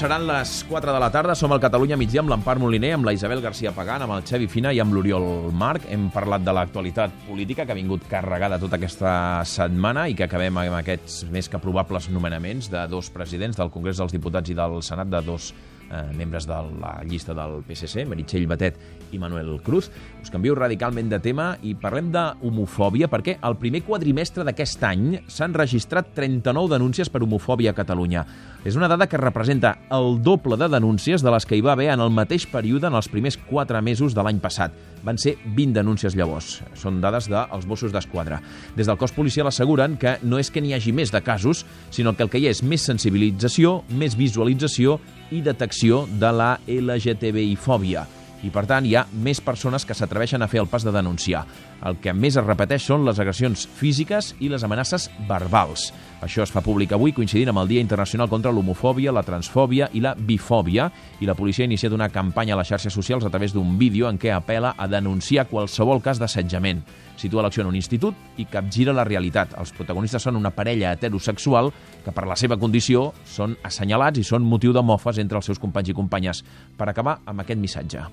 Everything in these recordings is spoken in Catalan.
seran les 4 de la tarda. Som al Catalunya migdia amb l'Empar Moliner, amb la Isabel García Pagán, amb el Xavi Fina i amb l'Oriol Marc. Hem parlat de l'actualitat política que ha vingut carregada tota aquesta setmana i que acabem amb aquests més que probables nomenaments de dos presidents del Congrés dels Diputats i del Senat, de dos membres de la llista del PSC, Meritxell Batet i Manuel Cruz. Us canvio radicalment de tema i parlem d'homofòbia, perquè el primer quadrimestre d'aquest any s'han registrat 39 denúncies per homofòbia a Catalunya. És una dada que representa el doble de denúncies de les que hi va haver en el mateix període en els primers 4 mesos de l'any passat. Van ser 20 denúncies llavors. Són dades dels Mossos d'Esquadra. Des del cos policial asseguren que no és que n'hi hagi més de casos, sinó que el que hi ha és més sensibilització, més visualització i detecció de la LGTBI-fòbia. I, per tant, hi ha més persones que s'atreveixen a fer el pas de denunciar. El que més es repeteix són les agressions físiques i les amenaces verbals. Això es fa públic avui, coincidint amb el Dia Internacional contra l'Homofòbia, la Transfòbia i la Bifòbia, i la policia ha iniciat una campanya a les xarxes socials a través d'un vídeo en què apel·la a denunciar qualsevol cas d'assetjament. Situa l'acció en un institut i capgira la realitat. Els protagonistes són una parella heterosexual que, per la seva condició, són assenyalats i són motiu de mofes entre els seus companys i companyes. Per acabar amb aquest missatge.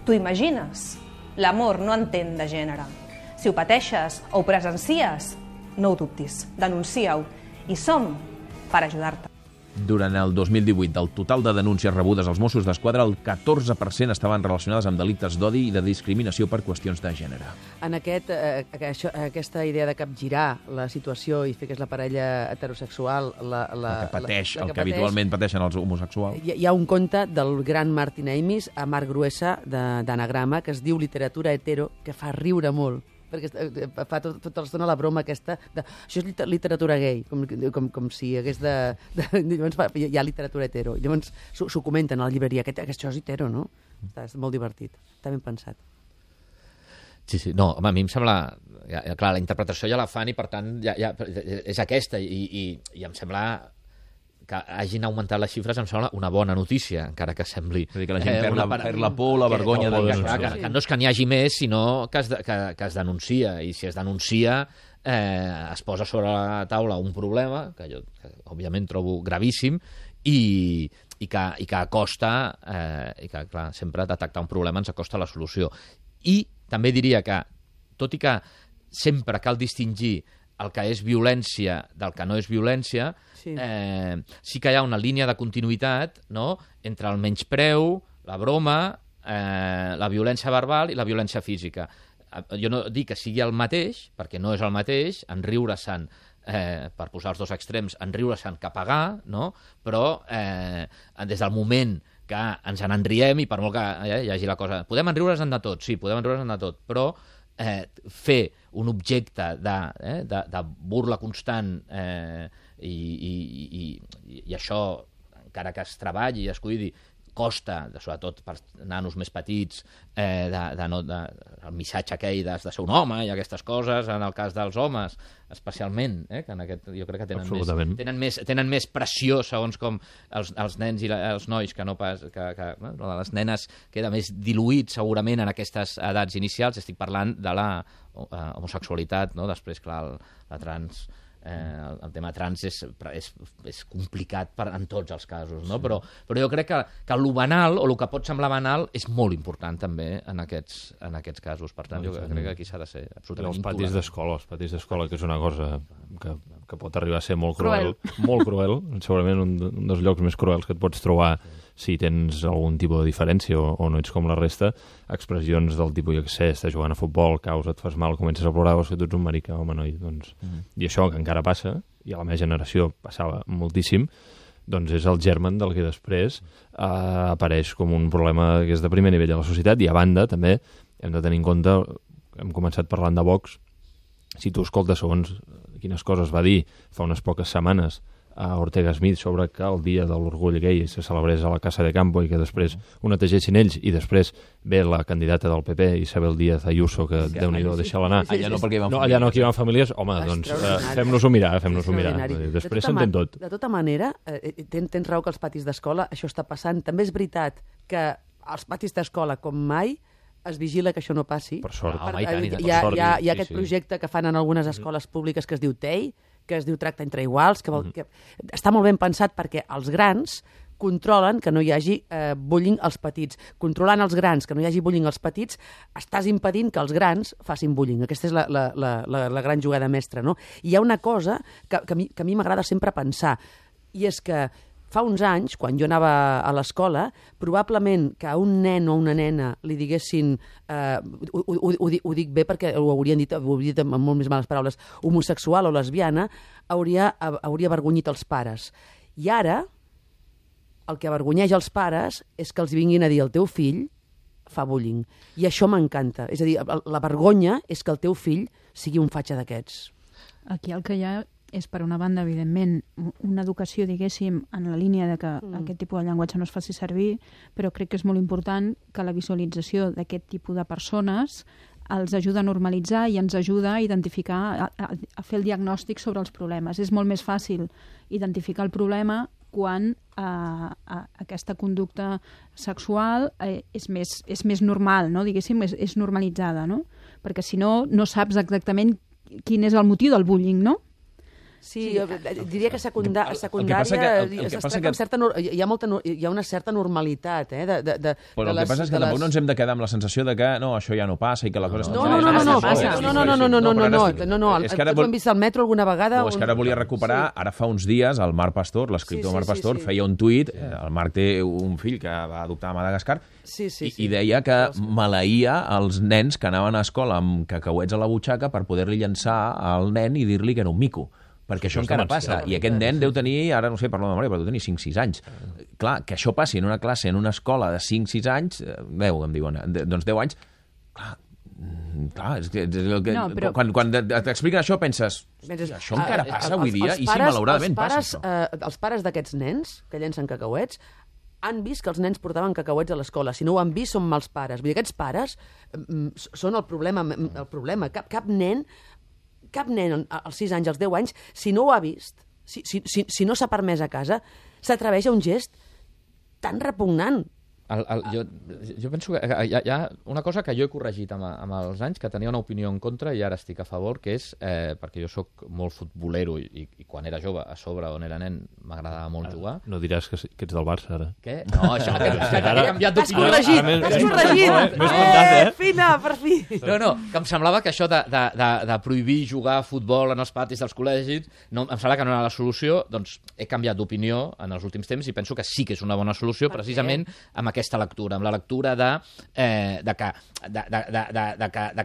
T'ho imagines? L'amor no entén de gènere. Si ho pateixes o ho presencies, no ho dubtis, denuncia-ho. I som per ajudar-te. Durant el 2018, del total de denúncies rebudes als Mossos d'Esquadra, el 14% estaven relacionades amb delictes d'odi i de discriminació per qüestions de gènere. En aquesta idea de capgirar la situació i fer que és la parella heterosexual... el que habitualment pateixen els homosexuals. Hi ha un conte del gran Martin Amis, a Marc Gruesa, d'Anagrama, que es diu Literatura hetero, que fa riure molt, perquè fa tota l'estona la broma aquesta de això és literatura gay, com si hi hagués llavors hi ha literatura hetero. Llavors s'ho comenten a la llibreria, això és hetero, no? És molt divertit, està ben pensat. Sí, no, home, a mi em sembla... Clar, la interpretació ja la fan i, per tant, és aquesta, i em sembla que hagin augmentat les xifres, em sembla una bona notícia, encara que sembli... És a dir, que la gent perd la por, la vergonya de denunciar. Que no és que n'hi hagi més, sinó que es denuncia, i si es denuncia es posa sobre la taula un problema, que jo òbviament trobo gravíssim, i que acosta, i que, clar, sempre detectar un problema ens acosta la solució. I també diria que, tot i que sempre cal distingir el que és violència del que no és violència, sí que hi ha una línia de continuïtat, no?, entre el menyspreu, la broma, la violència verbal i la violència física. Jo no dic que sigui el mateix, perquè no és el mateix, en riure-se'n, per posar els dos extrems, en riure-se'n que pagar, no?, però des del moment que ens n'enriem, i per molt que hi hagi la cosa... Podem enriure's-en de tot, sí, podem enriure's-en de tot, però fer un objecte de burla constant i això, encara que es treballi i es cuidi, costa, sobretot per nanos més petits, el missatge aquell de ser un home i aquestes coses, en el cas dels homes, especialment, que en aquest, jo crec que tenen més pressió, segons com els nens i els nois, que no pas... les nenes queda més diluït, segurament, en aquestes edats inicials. Estic parlant de la homosexualitat, no? Després, clar, la trans... el tema trans és complicat en tots els casos, no? Però jo crec que el banal, o el que pot semblar banal, és molt important també en aquests casos. Per tant, jo crec que aquí s'ha de ser absolutament intolerant. Els patis d'escola, que és una cosa que pot arribar a ser molt cruel. Molt cruel, segurament un dels llocs més cruels que et pots trobar si tens algun tipus de diferència o no ets com la resta. Expressions del tipus, jo què sé, estàs jugant a futbol, caus, et fas mal, comences a plorar, o que tu ets un marica, home, noi, doncs... I això, que encara passa, i a la meva generació passava moltíssim, doncs és el germen del que després apareix com un problema que és de primer nivell a la societat, i a banda, també, hem de tenir en compte, hem començat parlant de Vox, si tu escoltes segons quines coses va dir fa unes poques setmanes a Ortega Smith sobre que el dia de l'orgull gai se celebrés a la Casa de Campo i que després ho netegessin ells, i després ve la candidata del PP, Isabel Díaz Ayuso, que Déu-n'hi-do, deixa-la anar. Allà no, perquè hi van famílies. Allà no, aquí hi van famílies. Home, doncs fem-nos-ho mirar, Després s'entén tot. De tota manera, tens raó que els patis d'escola això està passant. També és veritat que als patis d'escola, com mai, es vigila que això no passi. Per sort. Hi ha aquest projecte que fan en algunes escoles públiques que es diu TEI, que es diu Tracte entre Iguals, que està molt ben pensat perquè els grans controlen que no hi hagi bullying als petits. Controlant els grans, que no hi hagi bullying als petits, estàs impedint que els grans facin bullying. Aquesta és la gran jugada mestra, no? I hi ha una cosa que a mi m'agrada sempre pensar, i és que fa uns anys, quan jo anava a l'escola, probablement que a un nen o una nena li diguessin, ho dic bé perquè ho haurien dit amb molt més males paraules, homosexual o lesbiana, hauria avergonyit els pares. I ara, el que avergonyeix els pares és que els vinguin a dir el teu fill fa bullying. I això m'encanta. És a dir, la vergonya és que el teu fill sigui un fatxa d'aquests. Aquí el que hi ha és, per una banda, evidentment, una educació, diguéssim, en la línia de que aquest tipus de llenguatge no es faci servir, però crec que és molt important que la visualització d'aquest tipus de persones els ajuda a normalitzar i ens ajuda a identificar, a fer el diagnòstic sobre els problemes. És molt més fàcil identificar el problema quan aquesta conducta sexual és més normal, no? Diguéssim, és normalitzada, no? Perquè si no, no saps exactament quin és el motiu del bullying, no? Sí, diria que secundària hi ha una certa normalitat. Però el que passa és que tampoc no ens hem de quedar amb la sensació de que no, això ja no passa i que la cosa està... No, ho hem vist al metro alguna vegada... És que ara volia recuperar, ara fa uns dies, el Marc Pastor, l'escriptor Marc Pastor, feia un tuit, el Marc té un fill que va adoptar a Madagascar, i deia que maleïa els nens que anaven a escola amb cacauets a la butxaca per poder-li llançar al nen i dir-li que era un mico. Perquè això encara passa, i aquest nen deu tenir, ara no sé, parlo de memòria, però deu tenir 5-6 anys. Clar, que això passi en una classe, en una escola de 5-6 anys, 10, em diuen, doncs 10 anys, clar, és que quan t'expliquen això penses, això encara passa avui dia, i sí, malauradament passa això. Els pares d'aquests nens que llencen cacauets han vist que els nens portaven cacauets a l'escola. Si no ho han vist, són mals pares. Vull dir, aquests pares són el problema. Cap nen als 6 anys, als 10 anys, si no ho ha vist, si no s'ha permès a casa, s'atreveix a un gest tan repugnant. Jo penso que hi ha una cosa que jo he corregit amb els anys, que tenia una opinió en contra i ara estic a favor, que és, perquè jo sóc molt futbolero i quan era jove, a sobre, on era nen, m'agradava molt jugar. No diràs que ets del Barça, ara. Què? No, això que he canviat d'opinió. T'has corregit! Fina, per fi! No, que em semblava que això de prohibir jugar a futbol en els patis dels col·legis, em sembla que no era la solució, doncs he canviat d'opinió en els últims temps i penso que sí que és una bona solució, precisament amb aquesta lectura, amb la lectura de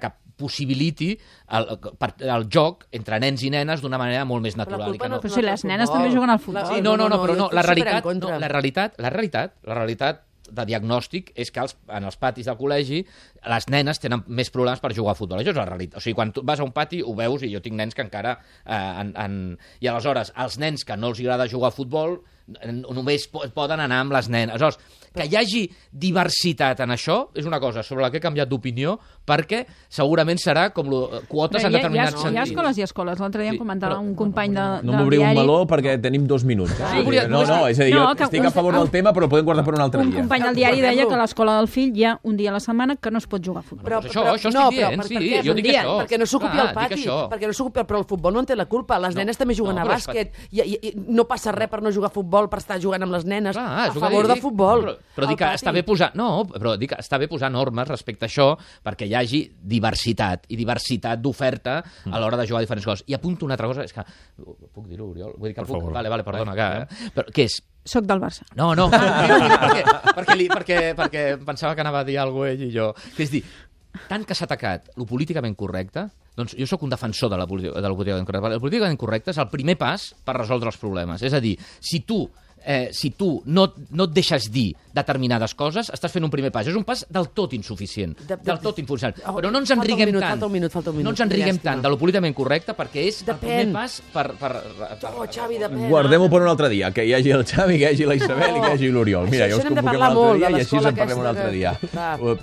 que possibiliti el joc entre nens i nenes d'una manera molt més natural. Però si les nenes també juguen al futbol. Sí, no, però no, la realitat de diagnòstic és que en els patis del col·legi les nenes tenen més problemes per jugar a futbol. Això és la realitat. O sigui, quan tu vas a un pati ho veus, i jo tinc nens que encara... I aleshores, els nens que no els agrada jugar a futbol només poden anar amb les nenes. Aleshores, que hi hagi diversitat en això és una cosa sobre la que he canviat d'opinió, perquè segurament serà com quotes en determinats sentits. Hi ha escoles i escoles. L'altre dia em comentava un company del diari... No m'obriu un meló perquè tenim 2 minuts. No, és a dir, jo estic a favor del tema, però podem guardar per un altre dia. Un company del diari deia que a l'escola del fill hi ha un dia a la setmana que no es pot jugar a futbol. Això estic dient, sí. Jo dic això. Perquè no s'ocupi el pati. Però el futbol no en té la culpa. Les nenes també juguen a bàsquet. No passa res per no jugar a futbol, per estar jugant amb les nenes. A favor de futbol. Però dic que està bé posar... No, però dic que està bé posar normes respecte a això perquè hi hagi diversitat i diversitat d'oferta a l'hora de jugar a diferents coses. I apunto una altra cosa, és que... Puc dir-ho, Oriol? Vull dir que puc... Vale, perdona, però què és? Soc del Barça. No, perquè pensava que anava a dir alguna cosa ell i jo. Que és dir, tant que s'ha atacat lo políticament correcte, doncs jo sóc un defensor del políticament correcte. El políticament correcte és el primer pas per resoldre els problemes. És a dir, si tu no et deixes dir determinades coses, estàs fent un primer pas. És un pas del tot insuficient. Del tot insuficient. Però no ens enriguem tant. Falta un minut. No ens enriguem tant de lo políticament correcte perquè és el primer pas per... Xavi, depèn. Guardem-ho per un altre dia. Que hi hagi el Xavi, que hi hagi la Isabel i que hi hagi l'Oriol. Mira, ja us convoquem un altre dia i així en parlem un altre dia.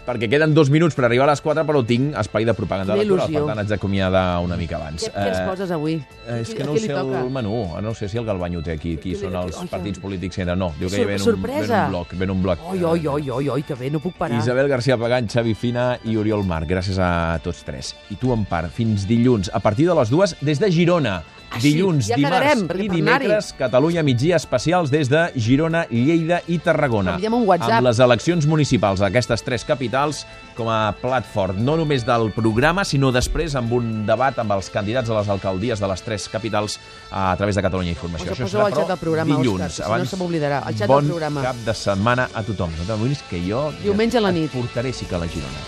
Perquè queden 2 minuts per arribar a les 4, però tinc espai de propaganda electoral. Per tant, haig d'acomiadar una mica abans. Què ens poses avui? És que no sé el menú. No sé si el Galbanyo té aquí. Qui són els partits polítics polítics que no, diu que ven un bloc. Oi, que bé, no puc parar. Isabel García Pagán, Xavi Fina i Oriol Marc, gràcies a tots tres. I tu, Empar, fins dilluns, a partir de les 2, des de Girona. Dilluns, ja dimarts i dimecres, Catalunya migdia especials des de Girona, Lleida i Tarragona. Enviem un WhatsApp. Amb les eleccions municipals d'aquestes tres capitals com a plat fort, no només del programa, sinó després amb un debat amb els candidats a les alcaldies de les tres capitals a través de Catalunya Informació. Això serà, però, dilluns. Òscar, si no se m'oblidarà. El xat del programa. Bon cap de setmana a tothom. No t'amoïnis que jo diumenge a la nit et portaré sí que a la Girona.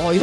Oi.